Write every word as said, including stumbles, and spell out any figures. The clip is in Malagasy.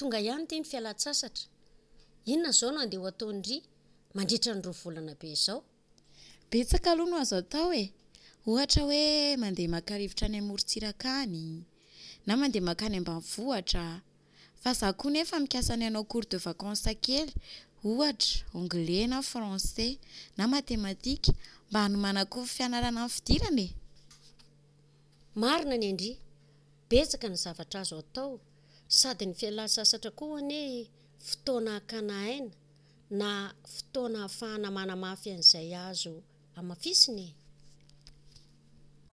Tonga ihany ity ny fialan-tsasatra. Inona izao no andeha ho ataon-dry mandritra ny roa volana be izao? Betsaka aloha no azo atao e! Ohatra hoe mandeha maka rivotra any amorontsiraka any, na mandeha mankany ambanivohitra. Fa za koa nefa mikasa ny hanao cours de vacances kely, ohatra anglais na français na matematika mba hanomanako fianarana amin'ny fidirana e! Marina ny an-dry, betsaka ny zavatra azo atao, sady ny fialan-tsasatra koa anie fotoana hakana aina na fotoana ahafahana manamafy an'izay azo hamafisina e!